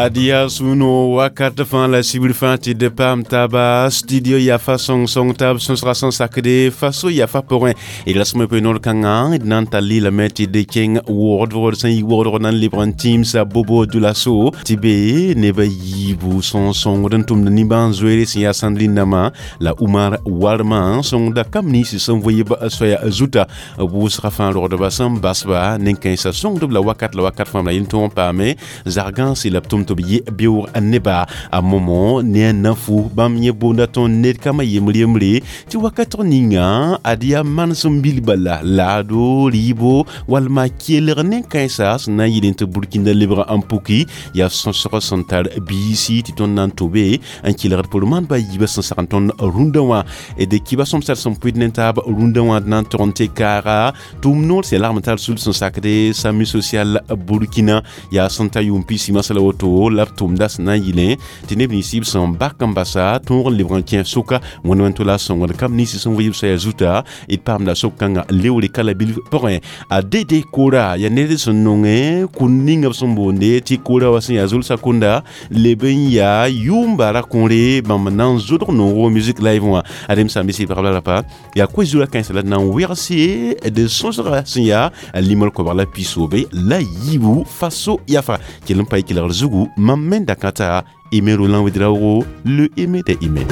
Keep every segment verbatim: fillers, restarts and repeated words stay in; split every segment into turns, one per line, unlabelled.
Adia suno wakat fãa la sibr fãa tɩ d paam taaba studio yafa sõng-sõng taab sõsga sẽn sakde faso yafa pʋgẽ d rasem p noor kãngã d na n tall lame tɩ d kẽng wogdgd sẽn yi wogdg na n lebg n tĩimsa bobo dulaso tɩ be neb a yiibu sõng-sõngd n tʋmd nimbãan-zoeere sẽn yaa Sandrine Nama la Umar Warma sõngda kam ninsi sẽn vɩɩb soaya zuta wʋsga fãa rogdba sẽn basba nen-kãensã sõngdb la wakat la wakat fãa la yel tõog n paame zag-gãnse la b tʋm tɩ b yɩ beoog neba a momo ne a nafu bãmb yẽ boonda tõnd ned kambã yembr yembre tɩ wakatg ninga ad yaa manesem bil bala laado rɩɩbo walma kelg nen-kãensa sẽn na n yɩl tɩ Burkina lebg n puki yaa sõsg sẽn tar biisi tɩ tõnd na n tobe n kelgd pʋr maandba a yiibã sẽn sagn tõnd rũndã wã d kiba sõmsd sẽn pʋɩd ne taab rũndã wã d na n tog n tɩ kaaga tʋʋm noor sẽn lagm tar sul sẽn sakde SAMU social Burkina yaa sẽn ta yʋʋm pis la woto la b tʋmda sẽn na n yɩlẽ tɩ neb nins b sẽn bak n basa tõog n lebg n kẽ sʋka wẽnd wẽnd to la sõngd kam ninsi sẽn vɩɩb soaya zuta d paamda sok-kãngã leoore kala bilf pʋgẽ a dede kora yaa ned sẽn nongẽ kũn ninga b sẽn boonde tɩ kora wa sẽn yaa zulsa kunda leb n yaa yʋʋm bara kõore bãmb na n zʋdg noogo musique live wã adem sãmb sɩ pagb la rapa yaa koe-zurã kãensã la d na n wegse d sõsga sẽn yaa limr koabg la pisoobe la yiibu faso yafa kell n pa y kelgr zugu mam me da kãta Aimé Roland Ouedraogo, le Aimé des Aimés.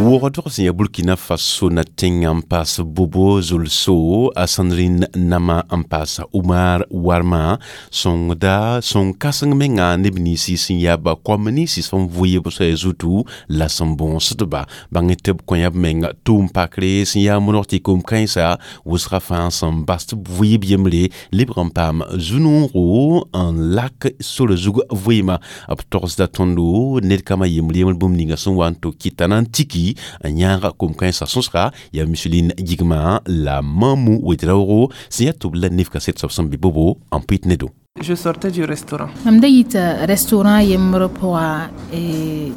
Wogdg sẽn yaa Burkina Faso na tẽngã n paas Bobo Zulso a Sandrine Nama n paasa Umar Warma sõngda sõng kãseng menga neb ninsi sẽn yaa ba koam ninsi sẽn vʋɩɩb soaya zutu la sẽn bõosdba bãng tɩ b kõ yaa b menga tʋʋm pakre sẽn yaa monog tɩ kom-kãensa wʋsga fãa sẽn bas tɩ b vʋɩɩb yembre lebg n paam zu-noogo n lak sora zug vɩɩmã b togsda tõndo ned kambã yembr yembr bũmb ninga sẽn wa n to kɩta na n tiki n yãaga kom-kãensã sõsga yaa Micheline Gigma la Mamou Ouedraogo sẽn yaa tʋb la nef kaset soab sẽn be bobo n pʋɩt nedo.
Je sortais du restaurant.
Mam da yita restaurant yembr pʋga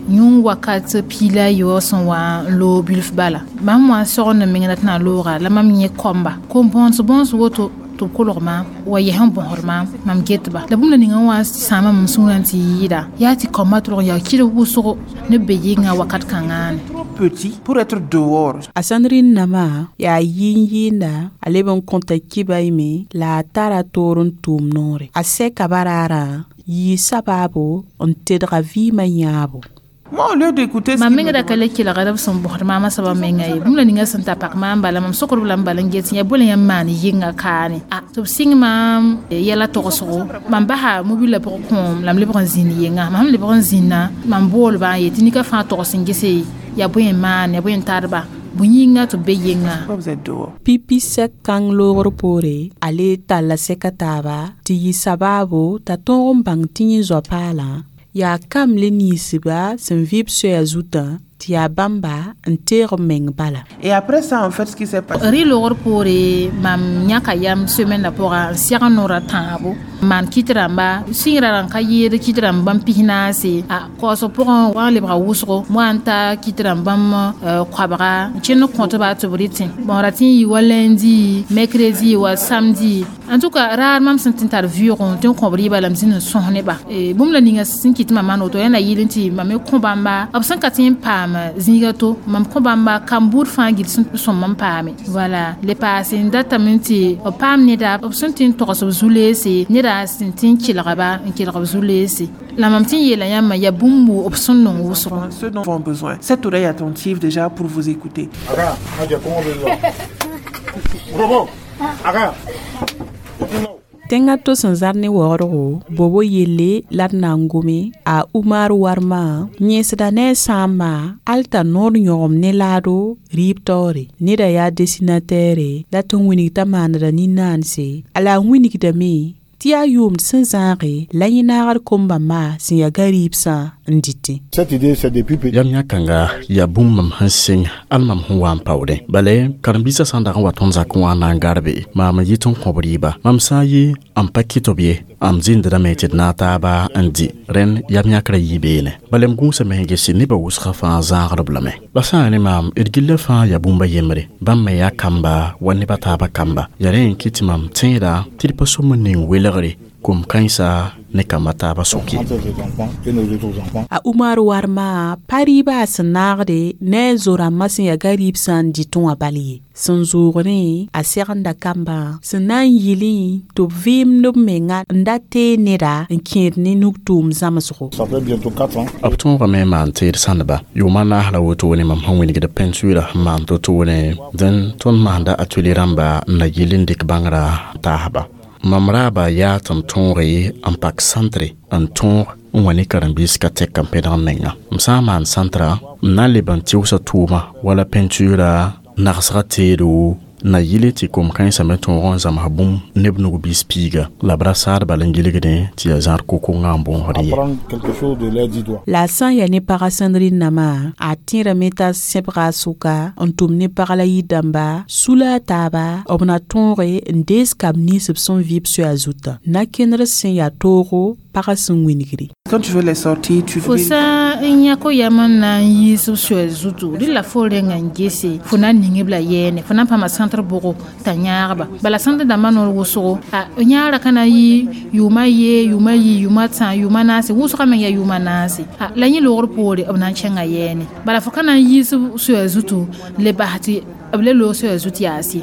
yũng wakat piila a yoog sẽn wa n loog bilf bala mam wã n sogend n meng la tɩ na n looga la mam yẽ koamba kom bõns bõns woto tɩ b kolg maam wa yɛs n bõsd maam mam getba la bũmb la ninga wã sãama mam sũurã tɩ yɩɩda yaa tɩ koambã tʋlg n yaa kɩdg wʋsgo ne be yɩnga wakat kãngã
Petit pour être dehors.
A Sandrine Nama yaa yɩɩn yɩɩnda a leb n kõta kiba yme la a tara toor n tʋʋm noore a sɛka baraarã yɩɩ sabaabo n tedga vɩɩmã yãabo.
Moi, au lieu d'écouter ce
mam
qu'il me
meng da ka le kelgd b sẽn bõsd maamã soabã menga ye bũmb la ninga sẽn ta pak maam bala mam sokdb la m bala n get yã bõe la yãmb maan yɩnga kaane a tɩ b sɩng maam yɛla togsgo mam basa mobilã pʋgẽ kõom la m lebg n zĩnd yenga mam sẽn lebg n zĩnna mam boolba n yetɩ nika fãa togs n gese yaa bõe n maan yaa bõe n tadba bõe yĩnga tɩ b be yenga.
Pourquoi vous êtes dehors?
Pipi sɛk kãng loogr poore a le talla sɛka taaba tɩ yɩ sabaabo t'a tõog n bãng tɩ yẽ zoa-paalã yaa kam le ninsba sẽn vɩb soaya zutã tɩ yaa bãmba n teeg b meng bala.
Et après ça, en fait, ce qui s'est passé,
rɩ logr poore mam yãka yam semaine pʋga n sɛg noorã tãabo maan kɩt rãmba sɩngrã rãn ka yɩɩd kɩt rãmb bãmb pis-naase a kaoosg pʋgẽ wa n lebga wʋsgo wa n ta kɩt rãmb bãmb koabga n kẽnd n kõtba tɩ b rɩtẽ bon ra tɩ n yɩ wa lundi, mercredi wa samedi. En tout cas raar mam sẽn tɩ n tar vɩʋʋgẽ tɩ n kõb rɩɩba la m zĩnd n sõs neba bũmb la ninga sẽn kɩt mam maan woto yaa na yɩl n tɩ mam me kõ bãmba b sẽn ka tɩ n paam zĩiga to mam kõ bãmba kam-buud fãa gil sẽn sõm n paame voilà le paase n datame tɩ b paam neda b sẽn tɩ n togs b zu-leese neda sẽn tɩ n kelgba n kelg b zu-leese la mam tɩ n yeela yãmba yaa bũmb b sẽn nong wʋsgo.
Ce dont ont besoin. Cette oreille attentive déjà pour vous écouter.
Aga, aja kongo bezo. Robo. Aga.
Tẽngã to sẽn zar ne waoodgo bobo yelle la d na n gome a Umar Warma yẽsda ne a sãambã al t'a noor yõgem ne laado rɩɩb taoore neda yaa desinatere la tɩ n wilg t'a maanda nin-naanse a la a wilgdame tɩ yaa yʋʋmd sẽn zãage la yẽ naagd kom-bãmba sẽn yaa ga-rɩɩbsã n dɩtẽ.
Cette idée, c'est depuis petit.
Yam yã kãnga yaa bũmb mam sẽn sɩng al mam sẽn wa n paoodẽ bala karen-biisã sã n dag n wa tõnd zakẽ wã n na n garbe maam n yɩ tɩ n kõb rɩɩba mam sã n yɩ n pa kɩt b ye. Am zĩndame tɩ d naag taaba n dɩ rẽnd yam yãkrã yɩ beene bala m gũusame sẽn gese nebã wʋsgã fãa zãagdb lame la sã n yaa ne maam d gillã fãa yaa bũmb a yembre bãmb me yaa kamba wa neb a taabã kamba yaa rẽ n kɩ tɩ mam tẽeda tɩ d pa sõm n ning welgre kom kãensa ne kamba taabã soke.
Entre ses enfants et nos autres enfants.
A Umar warma pa rɩɩbã sẽn naagde ne a zo-rãmbã sẽn yaa gariib sã n dɩtẽ wã bal ye sẽn zoogdẽ a segenda kambã sẽn na n yɩlẽ tɩ b vɩɩmd b menga n da tee neda n kẽed ne nug-tʋʋm zãmsgo.
Ça fait bientôt quatre ans.
B tõogame n maan teed sãndba yʋʋma naas la wotone mam sẽn wilgd peinture sẽn maan to-toone dẽn tõnd maanda atelier rãmba n na yɩl n dɩk bãngrã taasba mam raaba yaa tɩ m tõoge n pak sãntre n tõog n wa ne karen-biis ka tɛk n pẽdg n menga m sã n maan sãntra m na n leb n tɩʋsa tʋʋma wala peinture nagsga teedo na yɩle tɩ kom-kãensã me tõog n zãms bũmb neb nug-biis piiga la b ra saadba la n gilgdẽ tɩ yaa zãad ko-kongã n bõosd ye.
Apprendre quelque chose de leurs dix doigts.
La a sã n yaa ne pagã sẽn rĩnnamã a tẽrame t'a sẽbga a sʋka n tʋm ne pag la yir-dãmba sula a taaba b na tõoge n dees kamb nins b sẽn vɩ b soɛa zutã na-kẽndr sẽn yaa toogo pagã sẽn wingre.
Quand tu veux les sortir, tu
fo sã n yã ko-yam n na n yiis b soɛl zutu rɩ la fo renga n gese fo na n ning b la yɛɛne fo na n paama sãntr bʋgo t'a yãagba bala sãntr dãmbã noor wʋsgo a yãagrã ka na n yɩ yʋʋma yee yʋʋma yi yʋʋma tã yʋʋma naase wʋsgã meng yaa yʋʋma naase a la yẽ loogr poore b na n kẽnga yɛɛne bala fo ka na n yiis b soɛl zutu n le bas tɩ b le loog soɛl zut yaase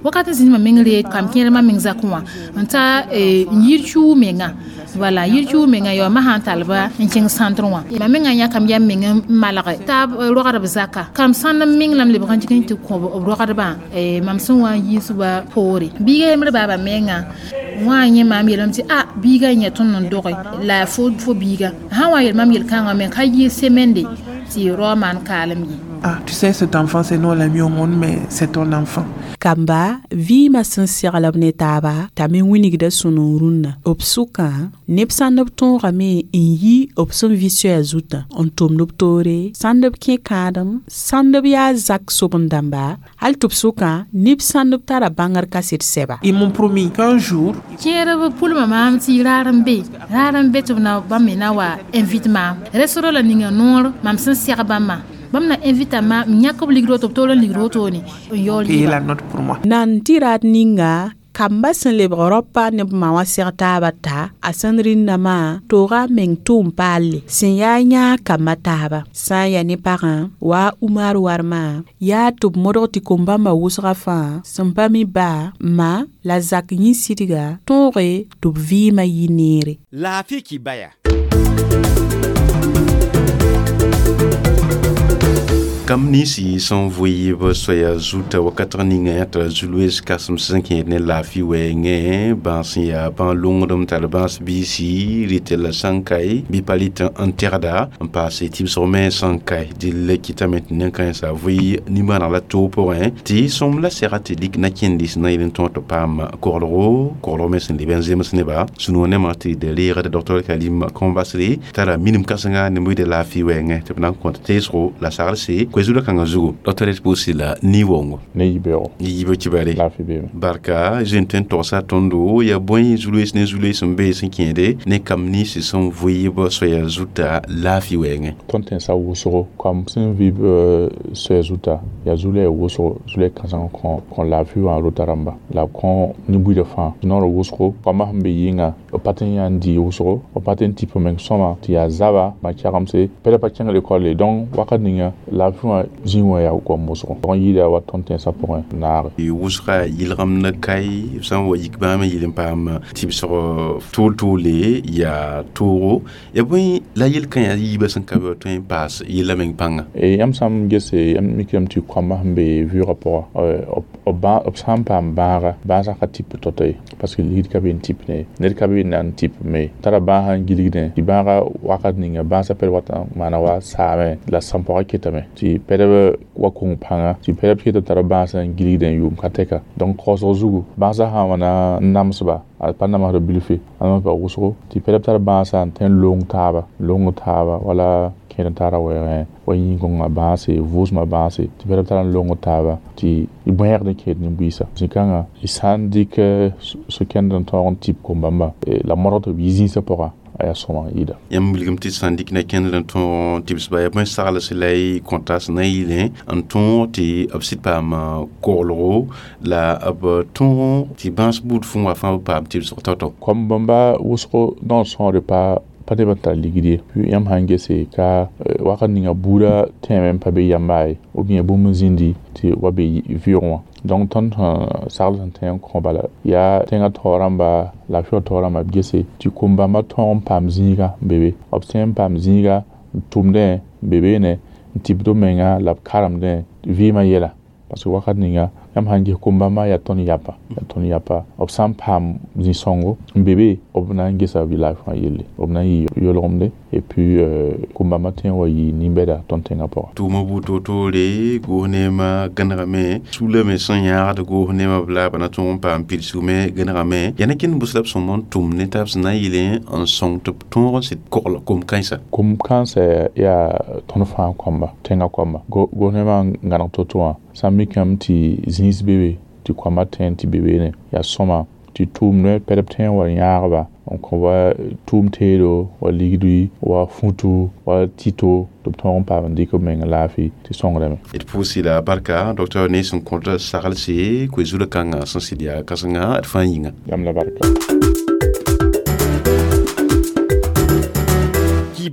wakat n zĩnd mam meng ree kam kẽermã meng zakẽ wã n ta n yir kiuug menga wala yir kiuug menga ya ma sãn talba n kẽng sãntr wã mam menga yãkam yam meng n malge taab rogdb zaka kam sãnd n meng la m lebg n tɩk n tɩ kõ b rogdbã mam sẽn wa n yiisba poore biiga yembr baaba menga wã yẽ maam yeelame tɩ a biiga yẽ tõnd n doge la fo fo biiga sã n wa n yeel mam yel-kãngã me ka yɩ semende tɩ rao maan kaalem ye.
Ah, tu sais, cet enfant, c'est nous, on l'a mis au monde, mais c'est ton enfant.
Kamba vɩɩmã sẽn segl b ne taaba t'a me wingda sũ-noog rũnnã b sʋkã neb sãnd b tõogame n yi b sẽn vɩ soɛa zutã n tʋmd b toore sãnd b kẽ kãadem sãnd b yaa zak sobend-dãmba hal tɩ b sʋkã neb sãnd b tara bãngr kaset sɛba.
Ils m'ont promis qu'un jour,
kẽerb pʋlma maam tɩ raar n be raar n be tɩ b na bãmb me na wa invite maam restaurant la ninga noor mam sẽn seg bãmbã bãmb na invita ma m yãk b ligd woto b toor n ligd wotone n yaool
payer la note pour moi.
Nan tɩ raad ninga kamba sẽn lebg raopa ne b ma wã seg taabã ta a sẽn rĩnnamã tooga a meng tʋʋm paalle sẽn yaa yãag kamba taaba sã n yaa ne pagã wa a Umar warmã yaa tɩ b modg tɩ kom-bãmbã wʋsga fãa sẽn pa mi ba ma la zak yĩn-sɩdga tõoge tɩ b vɩɩmã yɩ neere.
Laafɩ kibaya. Kam ninsi sẽn vɩɩb soaya zuta wakat ninga yã t'a zu-loees kãsem sẽn kẽed ne laafɩ wɛɛngẽ bãas sẽn yaa bãn-longrem tar bãas biisi rɩtɩ la sã n kae bɩ pa rɩt n tɛgda n paase tɩbsg me sã n kae dɩl kɩtame tɩ nen-kãensã vɩ nimbãaneg la toog pʋgẽ tɩ sõm la sɛga tɩ lik na kẽndis na yel n tõog tɩ paam koglgo koglg me sẽn leb n zems neba sũ-noog nemã tɩ d reegd docteur Karim Kõbasre tara minim kãsenga ne buɩd laafɩ wɛɛngẽ tɩ b na n kõt teesgo la saglse koe-zugã kãngã zugu docteur d pʋʋsɩ la ni-wongo
ne yibeoogo
ne yibe kibare
laafɩ beeme
barka zoe tõe n togsa tõndo yaa bõe zu-loees ne zu-loees n bee sẽn kẽede ne kam ninsi sẽn vɩɩb soaya zuta laafɩ wɛɛngẽ
tõnd tẽnsa wʋsgo kam sẽn vɩ soɛa zuta yaa zu-loɛɛ wʋsgo zu-loɛɛ kãseng kõ kõ laafɩ wã rota rãmba la b kõ nin-buidã fãa noor wʋsgo koambã sẽn be yɩnga b pa tõe n yã n dɩ wʋsgo b pa tõe n tɩp meng sõma tɩ yaa zaba ma-kɛgemse pɛda pa kẽng lekɔlle donc wakat ninga laafɩ wã zĩig wã yaa goam wʋsgo n yɩɩda wa tõnd tẽnsã pʋgẽ naage.
Wʋsga yɩlgemd kae b sã n wa yik bãmb n yɩl n paam tɩbsg tool-toole yaa toogo ya bõe la yel-kã yaa yiibã sẽn ka be tõe n paas yella meng pãnga.
Yãmb sã n gese yãmb mikame tɩ koambã sẽn be vɩʋʋgã pʋga b sã n paam bãaga bãasã ka tɩp tao-tao ye parce que ligd ka be n tɩp ne ned ka be n na n tɩp me tara bãasã n gilgdẽ tɩ bãaga wakat ninga bãasã pɛd wat n maana wa saame la sãn-pɔgã ketame tɩ pɛdb wa kong pãnga tɩ pɛdb ket n tara bãasã n gilgdẽ yʋʋm ka tɛka donc kaoosg zugu bãasã sã n wa na n namsba a pa namsd bilfe a namsba wʋsgo tɩ pɛdb tar bãasã n tõe n long taaba long taaba wala Kẽed n tara wɛɛgẽ wa yĩn-kõngã bãase vʋʋsmã bãase tɩ pɛd b tar n long taaba tɩ y bõeegd n kẽed nin-buiisã zĩ-kãngã y sã n dɩk so-kẽnd n tõog n tɩp kom-bãmba la modg tɩ b yi zĩisã pʋga a yaa sõma n yɩɩda.
Yãmb wilgame tɩ sã n dɩk na kẽndr n tõog tɩbsba yaa bõe sagls la y kõta sẽn na n yɩlẽ n tõog tɩ b sɩd paam koglgo la b tõog tɩ bãas buud fũu wã fãa b paam tɩbsg tao-tao.
Kom-bãmba wʋsgo noor sõore pa pa neb n tar ligd ye yãmb sãn gese ka wakat ninga buudã tẽeme n pa be yamba ye ou bien bũmb n zĩndi tɩ wa be vɩʋʋgẽ wã. Donc tõnd sẽn sagl sẽn tõe n kõ bala yaa tẽngã taoor rãmba laafɩ taoor rãmba b gese tɩ kom-bãmba tõog n paam zĩiga n be be b tõe n paam zĩiga n tʋmdẽ n be beene n tɩbd b menga la b karemdẽ vɩɩmã yɛla parce que wakat ninga yãmb sãn ges kom-bãmba yaa tõnd yapa yaa tõnd yapa b sã n paam zĩ-sõngo n be be b na n gesa b laafɩ wã yelle b na n yɩ yolgemde et puis kom-bãmba tõe n wa yɩ nin-bɛda tõnd tẽngã pʋga.
Tʋʋmã buud toor-toore goos neemã gãnegame sulame sẽn yãagd goos neemã b la b na tõog n paam pidsgme gãnegame yaa ne kẽnd bʋs la b sõm n tʋm ne taab sẽn na n yɩlẽ n sõng tɩ b tõog n sɩd kogl kom-kãensã.
Kom-kãensã yaa tõnd fãa kõmba tẽngã kõmba goos neemã n gãneg to-to wã sã n mikame tɩ zĩis be be tɩ koambã tẽ tɩ be beene yaa sõma tɩ tʋʋmdẽ pɛd b tõe n wa yãagba n kõ wa tʋʋm teedo wa ligdi wa futu wa tito tɩ b tõog n paam n dɩk b meng laafɩ tɩ sõngdame.
D pʋʋs la barka docteur ne sẽn kõt saglse koe-zulã kãngã sẽn sɩd yaa kãsenga d fãa yĩnga.
Yãmb la barka.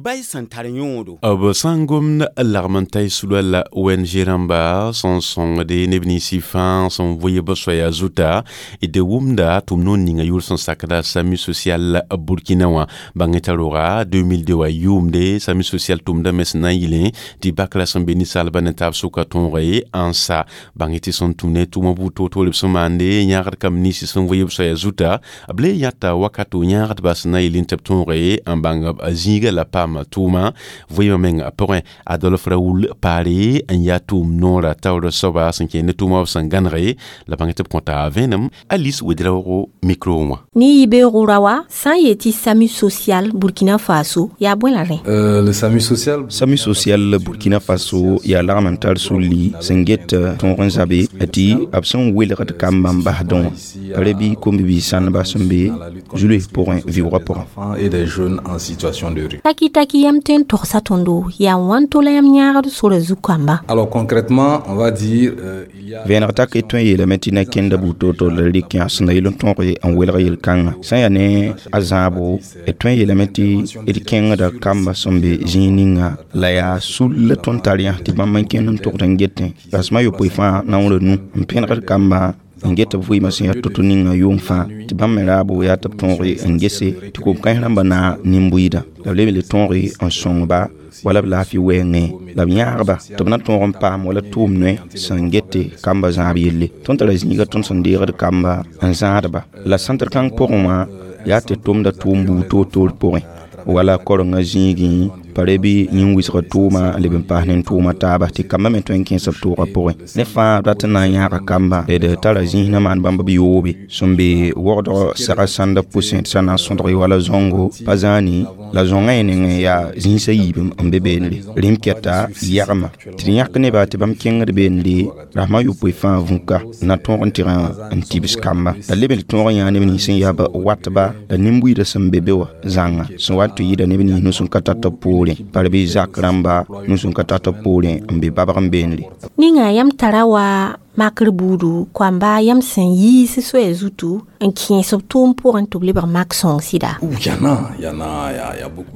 Bay sẽn tar yõodo.
B sã n gomd lagm n ta y sulã la O N G rãmba sẽn sõngde neb ninsɩ fãa sẽn vʋɩ b soaya zuta d wʋmda tʋm noor ninga yʋʋr sẽn sakda SAMU social Burkina wã bãng t'a roga deux mille deux wã yʋʋmde SAMU social tʋmda me sẽn na n yɩlẽ tɩ bakra sẽn be ninsaalbã ne taab sʋka tõoge n sa bãng tɩ sẽn tũm ne tʋʋmã buud toor-toore b sẽn maande yãagd kamb ninsɩ sẽn vʋɩ b soaya zuta b le yãta wakato yãagdba sẽn na n yɩlẽ tɩ b tõoge n bãng b zĩiga la paam tʋʋma vɩɩmã meng pʋgẽ Adolphe Raoul Paare n yaa tʋʋm noorã taoor soaba sẽn kẽer ne tʋʋmã b sẽn gãnege la bãng tɩ b kõta vẽenem Alice Ouedraogo micro wã.
Ni yibeoogo ra wa sã n yetɩ SAMU social Burkina Faso yaa bõe la rẽ?
Euh, le SAMU social
SAMU social Burkina Faso yaa lagm n tar sulli sẽn get tõog n zabe tɩ b sẽn welgd kambã n basdẽ wã pa bɩ kom-bi-biis sãndba sẽn be zulus pʋgẽ vɩʋʋgã pʋgẽ.
Et des jeunes en situation de rue.
Taki taki yam tõe n togsa tõndo yaa wãn to la yãmb yãagd sora zu-kamba.
Alors concrètement, on va dire euh, il y a
vẽeneg tak y tõe n yeelame tɩ na kẽnda buud toor-toor la rɩk yã sẽn da yɩl n tõog n welg yel-kãngã sã n yaa ne a zãabo d tõe n yeelame tɩ d kẽngda kamba sẽn be zĩig ninga la yaa sul la tõnd tar yã tɩ bãmb n kẽnd n togd n getẽ rasmã yopoe fãa naoor nu n pẽnegd kamba n get b vɩɩmã sẽn yaa to-to ninga yʋʋm fãa tɩ bãmb me raabo yaa tɩ b tõog n gese tɩ kom-kãens rãmbã na nin-buiidã la b leb le tõog n sõngba wala b laafɩ wɛɛngẽ la b yãagba tɩ b na tõog n paam wala tʋʋm noe sẽn gete kamba zãab yelle tõnd tara zĩiga tõnd sẽn deegd kamba n zãadba la sãntr kãng pʋgẽ wã yaa tɩ tʋmda tʋʋm buud toor-toor pʋgẽ wala korengã zĩigẽ pa re bɩ yĩn-wɩsg tʋʋma n leb n paas ne tʋʋma taaba tɩ kambã me tõe n kẽes b tʋʋgã pʋgẽ ne fãa rat n na n yãaga kamba d tara zĩis na maan bãmb b yoobe sẽn be wogdg sega sãndb pʋsẽ tɩ sã na n sõdg wala zõngo pa zãani la zõngã yẽ nengẽ yaa zĩisã yiib n be beenre rẽm kɛta yagma tɩ d yãk neba tɩ bãmb kẽngd beenre rasmã yopoe fãa vũka na tõog n tɩg n tibs kamba la leb n tõog n yãa neb nins sẽn yaa b watba la nin-buiidã sẽn be be wã zãnga sẽn wa n tɩ yɩɩda neb nins nus n ka tar tɩ b poorẽ par bɩ zak rãmba nus n ka tar tɩ b poorẽ n be babg n beenre.
Ninga yãmb tara wa makr buudu koamba yãmb sẽn yiis soaya zutu n kẽes b tʋʋm pʋgẽ tɩ b lebg mak sõng sɩda.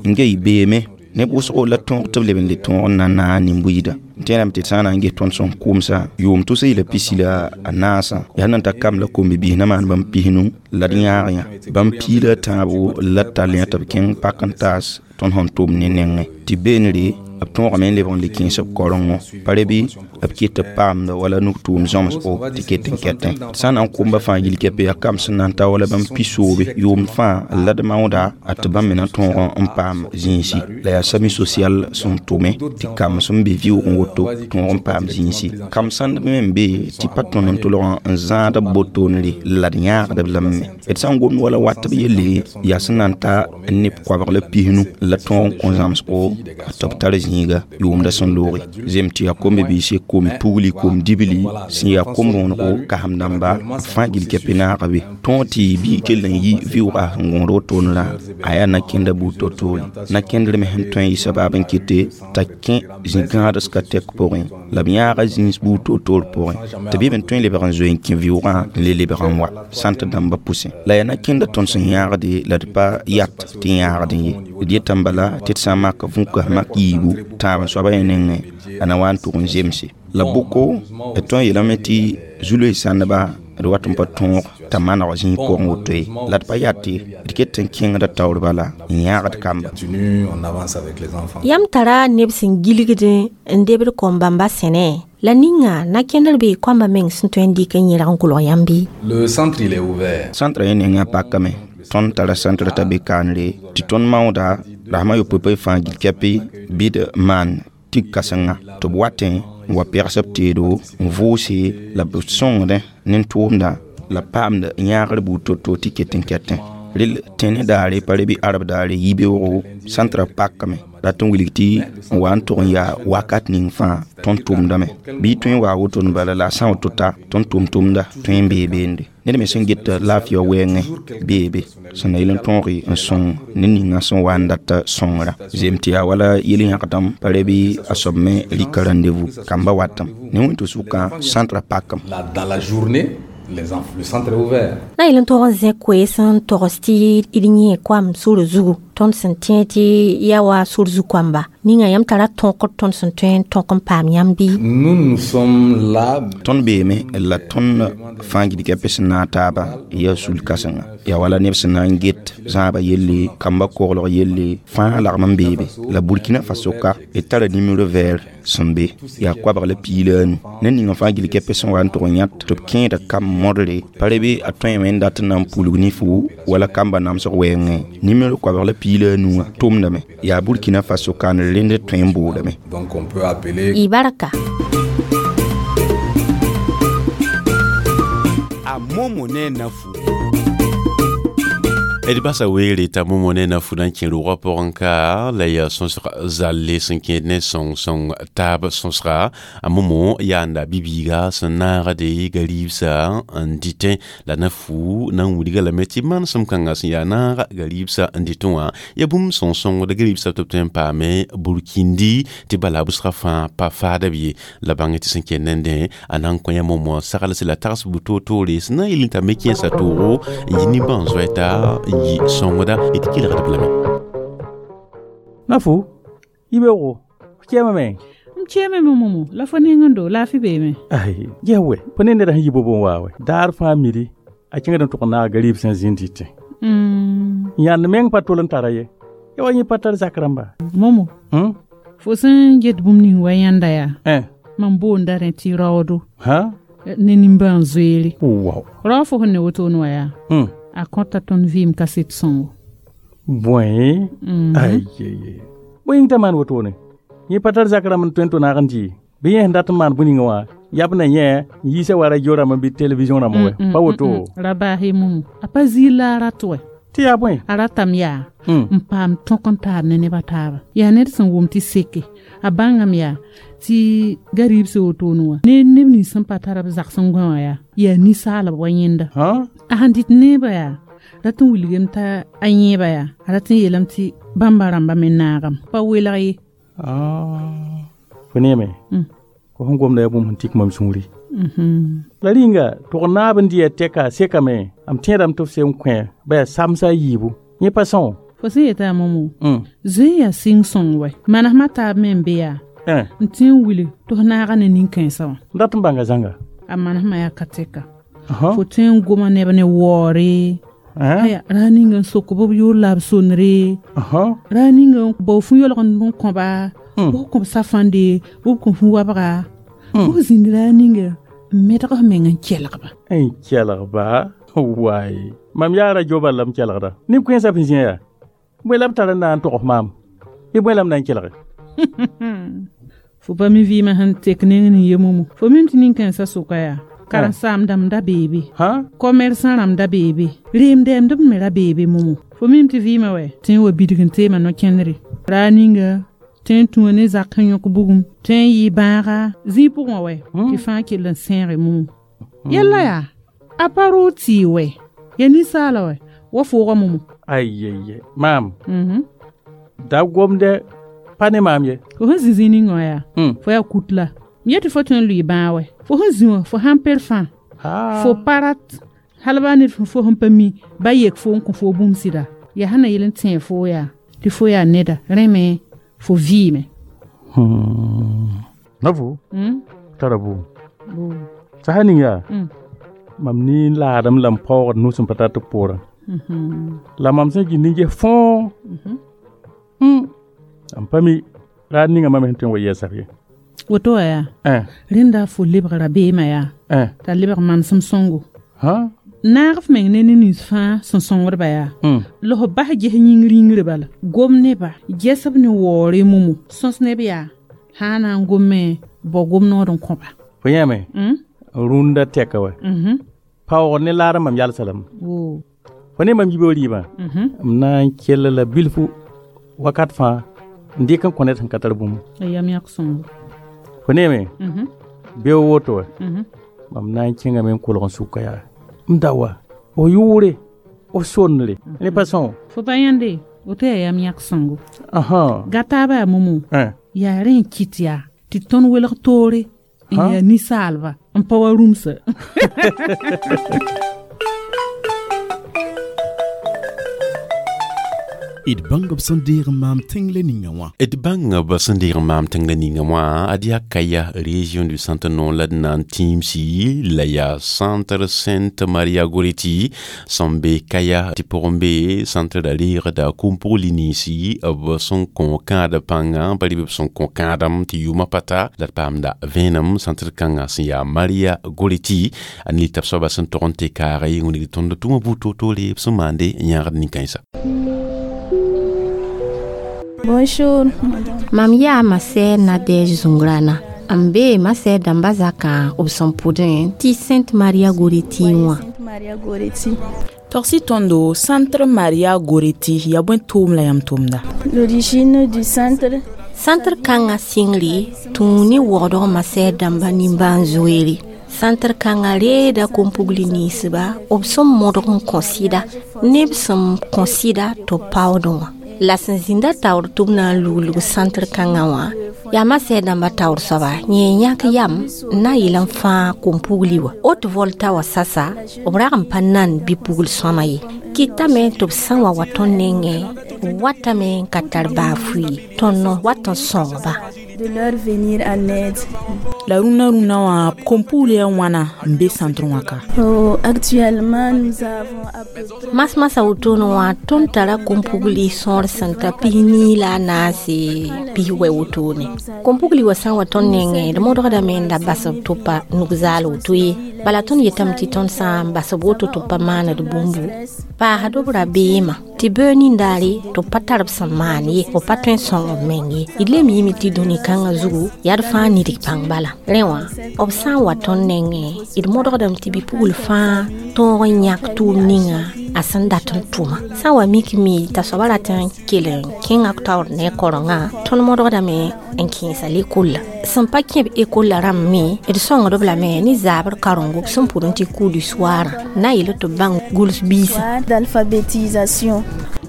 N ge y beeme neb wʋsgo la tõog tɩ b leb n le tõog n na n naag nin-buiida n tẽedame tɩ sã n na n ges tõnd sẽn kʋmsa yʋʋm tʋsa yɩla pisi la a naasã yaa nan ta kam la kom-bibiis na maan bãmb pisnu la d yãag yã bãmb piila a tãabo la d tall yã tɩ b kẽng pak n taas tõnd sẽn tʋm ne nengẽ tɩ beenre b tõogame n lebg n le kẽes b kaorengõ pa re bɩ b ket b paamda wala nuk tʋʋm zãmsgo tɩ ket n kɛtẽ sã n na n kʋmba fãa yil kɛpɛ yaa kam sẽn na n ta wala bãmb pisoobe yʋʋm fãa la d maooda a tɩ bãmb me na tõog n paam zĩisi la yaa SAMU social sẽn tʋme tɩ kamb sẽn be vɩʋʋgẽ woto tõog n paam zĩisi kam sãnd me n be tɩ pa tõnd n tʋlg n zãad b botoonre la d yãagdb lame me d sã n gomd wala wat b yelle yaa sẽn na n ta neb koabg la pisnu la tõog n kõ zãmsgo tɩ b tar zĩiga yʋʋmda sẽn looge zem tɩ yaa kom-biise kom-pugli kom-dibli sẽn yaa kom-bõonego kasem dãmba fãa gil kɛpɩ naaga be tõog tɩ bɩ kell n yi vɩʋʋga sẽn gõod wotone a yaa na-kẽnda buud to-toore na-kẽndr me sẽn tõe n yɩ sabaab n kɩte t'a kẽ zĩ-gãads ka tɛk pʋgẽ la b yãaga zĩis buud to-toor pʋgẽ tɩ bɩ b n tõe n lebg n zoe n kẽ vɩʋʋgã n le lebg n wa sãnt dãmba pʋsẽ la yaa na-kẽnda tõnd sẽn yãagde la d pa yat tɩ yãagdẽ ye d yetame bala tɩ d sã n mak vũkas mak yiibu tãab n soaba yẽ nengẽ a na wa n tʋg n zemse la bʋko d tõe n yeelame tɩ zu-loe sãndba d wat n pa tõog t'a maneg zĩig pʋgẽ woto ye la d pa yate d ket n kẽngda taoor bala n yãagd kamba
yãmb tara neb sẽn gilgd n debd kom-bãmba sẽne la ninga na-kẽndr bee koamba meng sẽn tõe n dɩk n yẽrg n kolg yãmb bɩ
Le centre, il est ouvert.
Centre yẽ nengã pakame tõnd tara centre t'a be kaanre tɩ tõnd maooda rasmã yopoe fãa gil kɛpɩ bɩ d maan tig kãsenga tɩ b watẽ n wa pɛgs b teedo n vʋʋse la b sõngdẽ nin-tʋʋmda la paamd yãagr buud to-to tɩ ket n kɛtẽ rel tẽne daare pa re bɩ arab daare yibeoogo centrã pakame rat n wilg tɩ n wa n tʋg n yaa wakat ning fãa tõnd tʋmdame bɩ tõe n waa wotone bala la a sã woto ta tõnd tʋm-tʋmda tõe n bee beende ned me sẽn get laafɩa wɛɛngẽ bee be sẽn na yel n tõoge n sõng ne ninga sẽn wa n dat sõngrã zem tɩ yaa wala yel-yãgdame pa re bɩ a soab me rɩka rendez-vous kamba watame ne wẽn-tɩ sʋkã centrã pakame
Là, dans la journée, les enfants, le centre est ouvert.
Na yel n tog n zẽ koees n togs tɩ d yẽ koam sor zugu tõnd sẽn tẽ tɩ yaa wa sor zu-koamba ninga yãmb tara tõkr tõnd sẽn tõe n tõk n paam yãmb bɩ
Nous, nous sommes là.
Tõnd beeme la tõnd fãa gilg sẽn naag taaba yaa sul kãsenga yaa wala neb sẽn na n get zãaba yelle kamba koglg yelle fãa lagm n beebe la Burkina Faso ka d tara numéro vert sẽn be yaa koabg la piig la a nu ned ning fãa gil kɛpɛ sẽn wa n tʋg n yãt tɩ b kẽeda kam modre pa re bɩ a tõeme n dat n na n pulg ne-fu wala kamba namsg wɛɛngẽ numéro koabg la piig la a nuwã tʋmdame yaa Burkina Faso kaanr rẽnd tõe n boodame
Donc on peut appeler
Y barka
A momo ne na fu.
D basa weere t'a momo ne na fu na n kẽ rʋʋgã pʋgẽ ka la yaa sõsg zalle sẽn kẽed ne sõng-sõng taab sõsga a momo yaanda bi-biiga sẽn naagde gariibsã n dɩtẽ la na fu na n wilga lame tɩ manesem kãngã sẽn yaa naaga gariibsã n dɩtẽ wã yaa bũmb sõng-sõngd gariibsã tɩ b tõe n paame Burkindi tɩ bala bʋsga fãa pa faada b ye la bãng tɩ sẽn kell nendẽ a na n kõ yã momo saglse la tags bu toor-toore sẽn na n yel n t'a me kẽesa toogo n yi nimbãan-zoɛta n yi sõngda d kelgd b lame
na fu yibeoogo f kɛɛmame
m kɛɛme me momo la fo nengẽ do laafɩ beeme
ai ges wɛ fo ne neda sẽn yi bobo n waa wɛ daar fãa midi a kẽngd n tʋg n naag gariib sẽn zĩnd dɩtẽ
Mm,
yãnd meng pa tol n tara ye ya wa yẽ pa tar zak rãmba
momo
hmm?
fo sẽn get bũmb ning wa yãnda yaa
eh.
mam boonda rẽ tɩ raoodo
ha
ne nimbãan zoeere
wow.
rao fo sẽn ne wotone wã yaa
hmm.
a kõta tõnd vɩɩm kaset sõngo
bõe
Mhm.
ai bõe yĩng t'a maan wotone yẽ pa tar zak rãmb n tõe n tʋ naag n dɩ bɩ yẽ sẽn dat n maan bũ-ninga wã yab na yẽ n yiisa wa radio rãmb bɩ television rãmb wɛ pa woto
ra baase momo a pa zĩig la a rat wɛ
tɩ yaa bõe
a ratame yaa
Mm.
n paam tõk n taar ne nebã taaba yaa ned sẽn wʋm tɩ seke a bãngame yaa tɩ gariib sã wotone wã ne neb nins sẽn pa tara b zags n gõe wã yaa yaa ninsaalb wa yẽnda a sẽn dɩt neebã yaa rat n wilgame t'a a yẽeba yaa a rat n yeelame tɩ bãmba rãmba me naagame pa welg ye
fo neeme
Mm.
fo sẽn gomda yaa bũmb sẽn tik mam sũuri
Mhm.
la rĩnga tʋg naab n dɩ tɛka sekame m tẽedame tɩ f sem kõ ba yaa samsa a yiibu yẽ pa sõo
fo sẽn yetã momo
Mm.
zoe yaa sɩng sõng wɛ manesmã taab me n be yaa
Eh.
n tẽ n wilg tɩ f naaga ne nin-kãensã wã
n dat n bãnga zãnga
a manesmã yaa ka tɛka fo tõe n goma neb ne waoore aya raa ninga n sok b yoor la b sonre raa ninga n bao fũ yolg n kõba b kõb safãnde b kõ fũ wabga b zĩnd raa ninga n medg f meng n kelgba
n kelgba waay mam yaa radio bal la m kelgda neb kẽensã f zĩ yaa bõe la b tar n na n tog f maam bɩ bõe la m na n kelge
Fo pa mi vɩɩmã sẽn tek neng ne ye momo. Fo mim tɩ nin-kãensã sʋka yaa. Karen-saam-dãmb da beebe. Commerçant rãmb da beebe. Reem-dɛɛmdb me ra beebe momo. Fo mim tɩ vɩɩmã wɛ tɩ n wa bidg n teema no-kẽndre. Raa ninga tɩ n tũa ne zak n yõk bugum, tɩ n yɩ bãaga zĩig pʋgẽ wã wɛ tɩ fãa kell n sẽege momo. Yella yaa a pa roog tɩɩ wɛ ya ninsaala wɛ wa foogã momo.
Ayeye maam. Da gomdɛ pa ne maam ye.
Fo sẽn zĩ zĩig ning wã yaa fo yaa kut la m yetɩ fo tõe n lʋɩ bãag wɛ. Fo sẽn zĩ wã fo sãn per fãa fo pa rat hal baa ned fo sẽn pa mi ba yek fo n kõ fo bũmb sɩda yaa sẽn na yel n tẽeg fo yaa tɩ fo yaa neda rẽ me fo vɩɩme.
Nafu tara bʋʋm sasa ning yaa mam ne laadem la m paoogd nus n pa tar tɩ poorã la mam sẽn gĩnd n ges fõo m pa mi raad ninga mam sẽn tõe n wa yɛɛsa ye.
Woto wã yaa rẽnda fo lebg rabeemã yaa t'a lebg manesem sõngo. Naag f meng ne ne nins fãa sẽn sõngdba yaa la f bas ges yĩngr yĩngre bala gom neba ges-b ne waoore momo sõs neb yaa sã n na n gome bao gom nood n kõba.
Fo yãame rũndã tɛka wɛ paoogd ne laadem mam yalsa lame. Fo ne mam yibe rɩɩbã m na n kell la bilfu wakat fãa n dɩk n kõ ned sẽn ka tar bũmb.
A yam yãk sõngo.
Fo neeme beo woto wɛ mam na n kẽngame n kolg n sʋka yaa m da wa f yʋʋre f sondre ne pa sõo.
Fo pa yãnde woto yaa yam yãk sõngo. Gataaba yaa momo yaa rẽ n kɩt yaa tɩ tõnd welg toore n yaa ninsaalba n pa wa rũmsa.
D bãng b sẽn deeg n maam tẽng la ninga wã.
D bãng b sẽn deeg n maam tẽng la ninga wã ad yaa Kaya région du centre non la d na n tĩimsi la yaa centre Sainte Maria Goretti sẽn be Kaya tɩ pʋgẽ be centre ra reegda kom-pugli ninsi b sẽn kõ kãad pãnga pa rɩ b sẽn kõ kãadem tɩ yʋʋmã pa ta la d paamda vẽenem centre kãngã sẽn yaa Maria Goretti a ne tab soaba sẽn tog n tɩ kaage wingd tõnd tʋma buud toor-toore b sẽn maande n yãagd nin-kãensa.
Bonjour.
Mam yaa masɛɛ Nadɛɛg zũngrana n bee masɛɛ dãmba zakã b sẽn pʋdẽ tɩ Sainte Maria Goretti wã.
Togsi tõndo Centre Maria Goretti yaa bõe tʋʋm la yãmb tʋmda?
L'origine du centre.
Centre kãngã sɩngre tũu ne waoodg masɛɛ dãmba nimbãan-zoeere. Centre kãngã reeda kom-pugli ninsba b sẽn modg n kõ sɩda neb sẽn kõ sɩda tɩ b paoodẽ wã. La sẽn zĩnda taoor tɩ b na n luglg centre kãngã wã yaa masɛɛ dãmba taoor soaba yẽ yãk yam n na n yɩl n fãag kom-pugli wã. Haute Volta wã sasa b rag n pa nan bɩ-pugl sõama ye. Kɩtame tɩ b sã n wa wa tõnd nengẽ b watame n ka tar baa fʋɩ tõnd wat n sõngba.
De leur venir en aide.
La rũnã rũnã wã kom-pugl yaa wãna n be centre wã ka?
Oh, actuellement nous avons à peu près
Mas-masã wotone wã tõnd tara kom-pugli sõor sẽn ta pis-nii la a naase pis-wɛ wotone. Kom-pugli wã sã n wa tõnd nengẽ d modgdame n da bas b tɩ b pa nug-zaal woto ye. Bala tõnd yetame tɩ tõnd sã n bas b woto tɩ b pa maand bũmbu paasd b rabeemã tɩ beoog nindaare tɩ b pa tar b sẽn maan ye b pa tõe n sõng b meng ye. D lem yɩme tɩ dũni kãngã zugu yaa d fãa nidg pãng bala. Rẽ wã b sã n wa tõnd nengẽ d modgdame tɩ bɩ-pugl fãa tõog n yãk tʋʋm ninga a sẽn dat n tʋma. Sã n wa mik mi t'a soaba rat n kell n kẽnga taoor ne a korengã tõnd modgdame n kẽesa lekolla. Sẽn pa kẽ b ekolla rãmb me d sõngd b lame ne zaabr karengo b sẽn pʋd n tɩ cours du soir na n yeel tɩ b bãng gʋls biisã.
D'alphabétisation.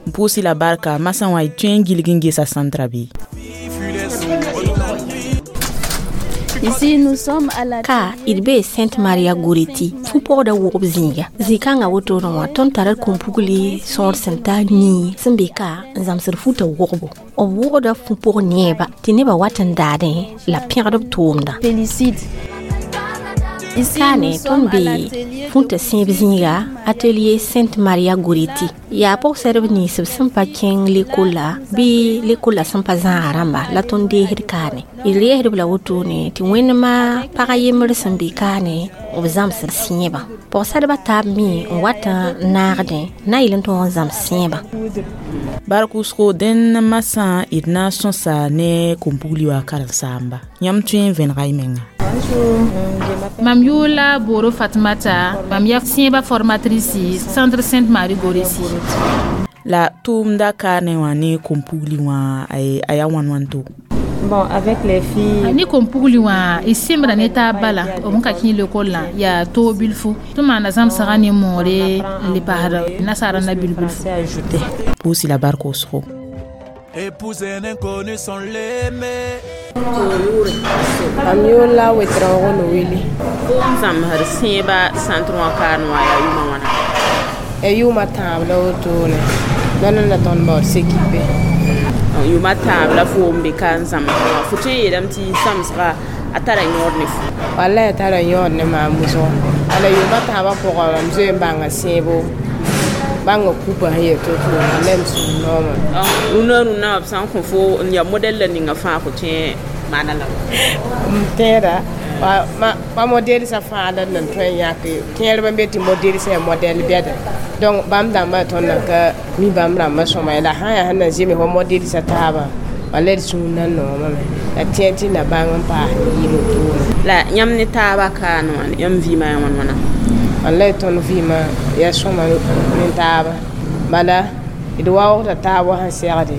N pʋʋs-y la barka masã wã y tõe n gilg n gesa centrã bɩ?
Ici, nous sommes à la
Ka d bee Sainte Maria Goretti fu-pɔgda wʋgb zĩiga. Zĩ-kãngã wotone wã tõnd tara kom-pugli sõor sẽn ta nii sẽn be ka n zãmsd futã wʋgbo. B wʋgda fu-pʋg neeba tɩ nebã wat n daadẽ la pẽgd b tʋʋmdã.
Félicite.
Kaane tõnd be fũta sẽeb zĩiga atelier Sainte Maria Goreti yaa pʋgsɛdb nins b sẽn pa kẽng lekolla bɩ lekolla sẽn pa zãaga rãmba la tõnd deesd kaane d reesdb la wotone tɩ wẽndmã pag yembr sẽn be kaane b zãmsd sẽebã pʋgsɛdbã taab me n wat n naagdẽ na yel n tõog n zãms sẽebã
bark wʋsgo dẽnd masã d na n sõsa ne kom-pugli wã karen-saamba yãmb tõe n vẽnega y menga.
Mam yʋʋr la Boro Fatmata, mam yaa sẽebã formatrice Centre Sainte Marie Goreti.
La tʋʋmda kaane wã ne kom-pugli wã a yaa wãn wãn to?
Bon, avec les filles.
Ni kom-pugli wã y sembra ne taab bala b ka kẽ lekollã yaa toog bilfu tɩ maana zãmsgã ne moore n le paasd nasaara na bil bilfu.
Pʋʋs la bark wʋsgo.
Épouser un inconnu sans l'aimer.
Mam yʋʋr la Wetraogo Noweli.
Fo n zãmsd sẽebã centre wã kaane wã yaa yʋʋmã wãna?
Ya yʋʋmã tãab la wotone nonã la tõnd baood s'équipe.
Yʋʋmã tãab la fo n be ka n zãmsd wã fo tõe n yeelame tɩ zãmsga a tara yõod ne fo?
Wallay a tara yõod ne maam wʋsgo ala yʋʋmã tãabã pʋgã mam zoe n bãnga sẽebo bãnga kupa sẽn yel to-to wallay m sũur nooma.
Rũnã rũnã b sã n kõ fo n yaa modɛl la ninga fãa fo tõe maana la
m tẽeda pa modelsã fãa la nan tõe n yãke kẽerb n be tɩ modelsã yaa modɛl bɛda donc bãmb dãmbã tõnd nan ka mi bãmb rãmbã sõma ye la sã n yaa sẽn na zems wa modelsã taabã wallay d sũur nan noomame la tẽ tɩ na bãng n paas yɩɩl wotone.
La yãmb ne taabã kaane wã yãmb vɩɩmã yaa wãn wãna?
Wallay tõnd vɩɩmã yaa sõma ne taaba bala d waoogda taab wa sẽn segde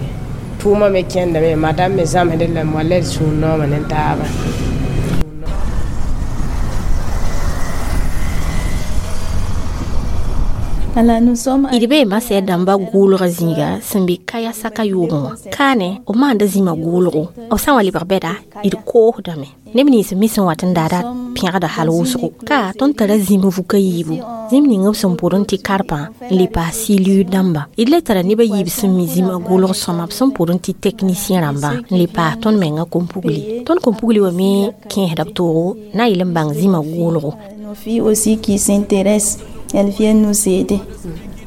tʋʋmã me kẽndame madame me zãmsdẽ lame wallay d sũur nooma ne taaba.
D bee masɛd dãmba gʋʋlgã zĩiga sẽn be kaya saka yoogẽ wã kaane b maanda zĩmã gʋʋlgo b sã n wa lebg bɛda d koosdame neb nins me sẽn wat n daada pẽgda hal wʋsgo ka tõnd tara zĩm vuka yiibu zĩm ning b sẽn pʋd n tɩ karpã n le paas sɩ-luud dãmba d le tara neb a yiib sẽn mi zĩmã gʋʋlg sõma b sẽn pʋd n tɩ technicien rãmbã n le paas tõnd menga kom-pugli tõnd kom-pugli wã me kẽesda b toogo na n yel n bãng zĩmã gʋʋlgo.
Nos filles aussi qui s'intéressent, elles viennent nous aider.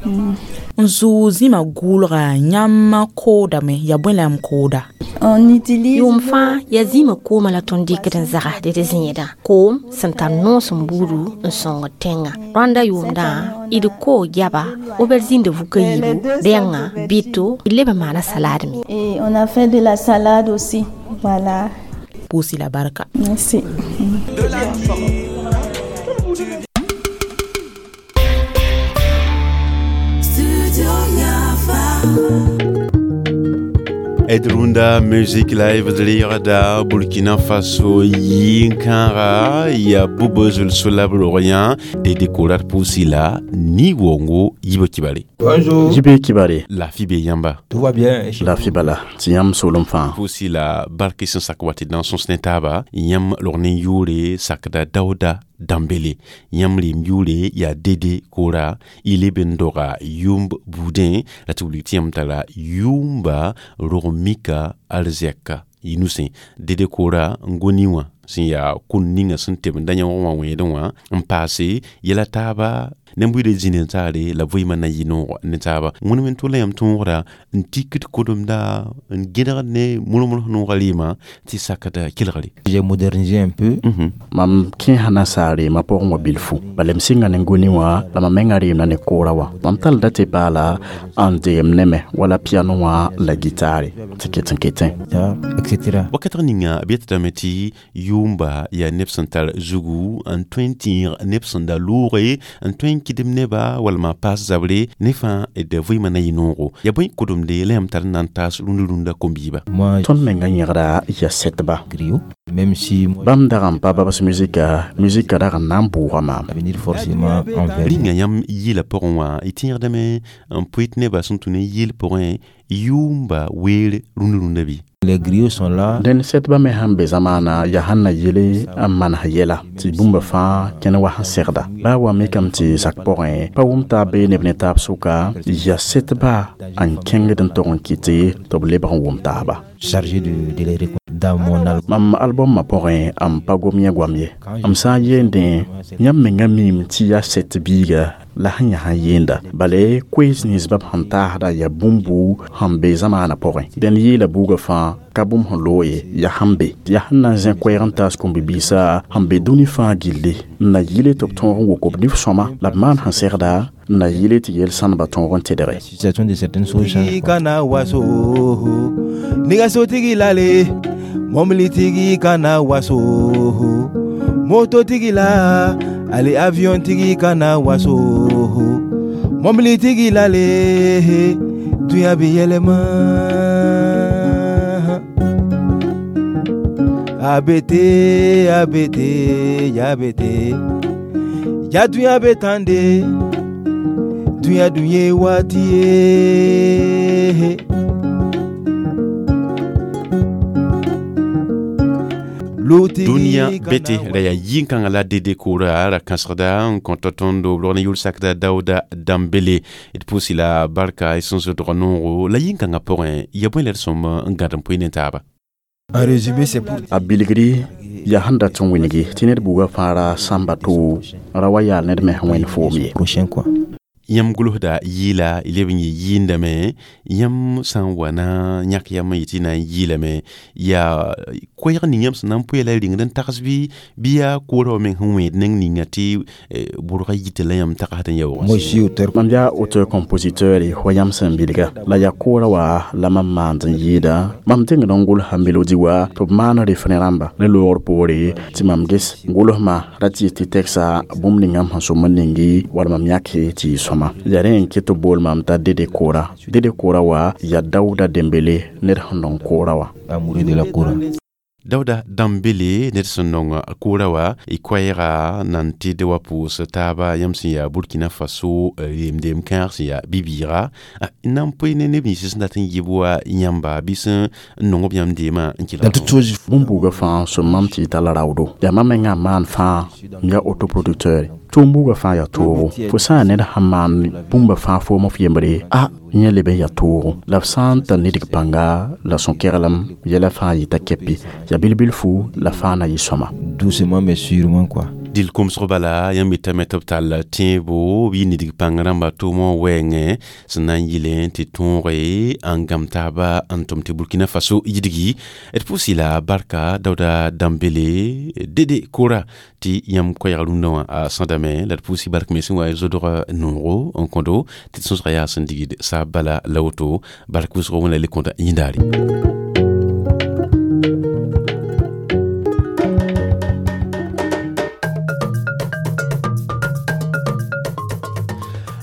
N zʋʋg zĩmã gʋʋlga yãmb koodame yaa bõe la yãmb kooda?
On utilise
Yʋʋm fãa yaa zĩmã koomã la tõnd dɩkd n zagsd d zẽedã koom sẽn tar noos n buudu n sõngd tẽngã rãnda yʋʋmdã d koo goaba aubergine de vuka yiibu rẽnga bɩto d leb n maana salade me.
Et on a fait de la salade aussi. Voilà.
Pʋʋs la barka.
Merci.
Edrunda Music Live de Burkina Faso yinkara ya Bubozul Solab Lorient de décorar Poussila ni wongo Yibo Kibale.
Bonjour. Jibe Kibale.
La fibe yamba.
Tout va bien.
La fibala. Tɩ yãmb soolem fãa.
Poussila barke sẽn sak wa tɩ d na n sõs ne taaba yãmb log ne yʋʋre sakda Daouda Dambele yãmb reem yʋʋre yaa Dede Kora y leb n doga yʋmb buudẽ la tɩ wilg tɩ yãmb tara yʋʋmba rog mika arzɛka y nusẽ Dede Kora n goni wã sẽn yaa kũn ninga sẽn teb n da yãog wã wẽedẽ wã n paase yɛla taaba neb-buiidã zĩnd n saare la vɩɩmã na yɩ noog ne taaba wẽnem n tʋla yãmb tõogra n tikd kodemda n gẽdgd ne modg-modg noogã rɩɩmã tɩ sakda kelgre.
J'ai modernisé un peu.
Mam kẽesa nasaar reemã pʋgẽ wã bilfu bala m sɩnga ne goni wã la mam menga reemda ne koora wã mam tallda tɩ baala n deem neme wala piano wã la gitaare tɩ ket n ketẽ.
Etc.
Wakatr ninga b yetdame tɩ yʋʋmba yaa neb sẽn tar zugu n tõe n tĩig neb sẽn da loore n tõe n kɩdem neba walma paas zabre ne fãa d vɩɩmã na yɩ noogo yaa bõe kodemde la yãmb tar n na n taas rũnd rũndã kom-biiba.
Tõnd menga yẽgda yaa sɛtba.
Même si
bãmb dag n pa babs musika musika dag n na n bʋʋga maam.
Venir forcément envers.
Rĩnga yãmb yɩla pʋgẽ wã y tẽegdame n poet nebã sẽn tũ ne yɩl pʋgẽ yʋʋmba weer rũnd rũndã bɩ?
Les griots sont là.
Dẽnd sɛtbã me sãn be zamaana yaa sẽn na yele n manes yɛla tɩ bũmba fãa kẽn wa sẽn segda baa wa mikame tɩ zak pʋgẽ pa wʋm taab bee neb ne taab sʋka yaa sɛtba n kẽngd n tog n kɩte tɩ b lebg n wʋm taaba.
Chargé de, de les. Dans mon album
mam album ma pʋgẽ m pa gom yẽ goam ye m sã n yeendẽ yãmb menga miime tɩ yaa set biiga la sẽn yã sẽn yeenda bale koees nins bãmb sẽn taasda yaa bũmbu sẽn be zamaanã pʋgẽ dẽnd yeela buugã fãa ka bũmb sẽn loog ye yaa sẽn be yaa sẽn na n zẽ koɛɛg n taas kũmbi-biisã sẽn be dũni fãa gilli n na yɩle tɩ b tõog n wok b nif-sõma la b maan sẽn segda n na yɩle tɩ yel-sãneba tõog n tedge
situation de certaines choses change.
Kana waso nɛgɛsotigi lale mɔbilitigi kana waso mototigi la ale avion-tigi kana waso mɔbilitigi lale dunya bɛ yɛlɛma a bɛ ten a bɛ ten ja bɛ ten ja dunya bɛ tan de dunya dun ye waati ye.
Dũniyã bete la yaa yĩn-kãngã la dede koora ra kãsegda n kõta tõndo b log ne yʋl-sakda Daouda Dembélé d pʋʋs la barka y sẽn zodg noogo la yĩn-kãngã pʋgẽ ya bõe la d sõm n gãd n pʋɩ ne taaba.
En résumé, c'est pour
a bilgri yaa sẽn dat n wĩngi tɩ ned buugã fãa ra sãmba to ra wa yaal ned me sẽn wẽnd foom ye
prochain quoi.
Yãmb gʋlsda yɩɩla y leb n yɩ yɩɩndame yãmb sã n wa na yãk yam n yetɩ na n yɩɩlame yaa koɛɛg ning yãmb sẽn na n pʋɩ la y rĩngd n tags bɩ bɩ yaa koorã wa meng sẽn wẽed neng ninga tɩ bʋrga yita la yãmb tagsd n yaoogã.
Moi, je suis auteur.
Mam yaa auteur compositeur wa yãmb sẽn bilga la yaa koorã wa la mam maand n yɩɩda mam tẽngd n gʋlsa melodi wa tɩ b maan refrẽ rãmba ne loogr poore tɩ mam ges gʋlsmã ra tɩ tɩ tɛksa bũmb ninga m sẽn sõm n ningi wala mam yãke tɩ yɩ sõma yaa rẽ n ket tɩ bool mam t'a dede koora dede koora wa yaa Daouda Dembélé ned sẽn nong koora wa.
Amoureux de la kora.
Daouda Dembélé ned sẽn nong koora wa y koɛɛga nan tɩd wa pʋʋs taaba yãmb sẽn yaa Burkina Faso yemdem kãag sẽn yaa bi-bɩɩga n na n pʋɩ ne neb nins sẽn dat n yib wa yãmba bɩ sẽn n nong b yãmb deemã n
Dans toute chose,
bũmb-buugã fãa sõm mam tɩ y tall raoodo yaa mam mengã maan fãa n yaa autoproducteur tʋʋm buugã fãa yaa toogo fo sã n yaa ned sẽn maan bũmba fãa foom f yembre a yẽ leb n yaa toogo la f sã n tar nidg pãnga la sõ-keglem yɛla fãa yɩta kɛpɩ yaa bil-bilfu la fãa na yɩ sõma.
Doucement mais sûrement quoi.
Dɩl komsg bala yãmb yetame tɩ b tall tẽebo bɩ nidg pãng rãmba tʋʋmã wɛɛngẽ sẽn na n yɩlẽ tɩ tõoge n gãm taaba n tʋm tɩ Burkina Faso yidgi d pʋʋs la barka Daouda Dembélé dede koora tɩ yãmb koɛɛg rũndã wã a sõdame la d pʋʋs bark me sẽn wa zodg noogo n kõdo tɩ d sõsga yaa sẽn digd saab bala la woto bark wʋsgo wẽnna le kõta yĩndaare.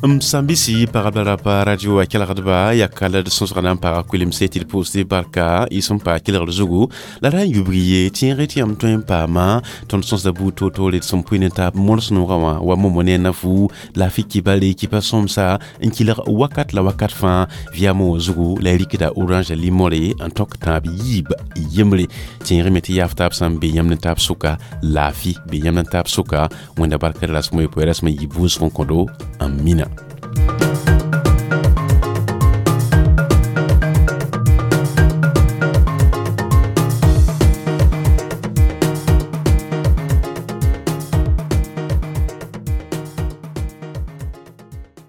M sãn-bisi pagb la rapa radio a kelgdba yaa kala d sõsga na n paga koelemse tɩ d pʋʋsd barka y sẽn paa kelgd zugu la ra n yubg ye tẽege tɩ yãmb tõe n paama tõnd sõsda buud toor-toore d sẽn pʋɩ ne taab mols noogã wã wa momo ne nafu laafɩ kibale kipa sõmsa n kelg wakat la wakat fãa vɩyamã wã zugu la y rɩkda orange limore n tõk tãab yiib yembre tẽegẽ me tɩ yaaf taab sã n be yãmb ne taab sʋka laafɩ be yãmb ne taab sʋka wẽnda barka rasmã yopoe rasmã yib wʋsg n kõdo n mina.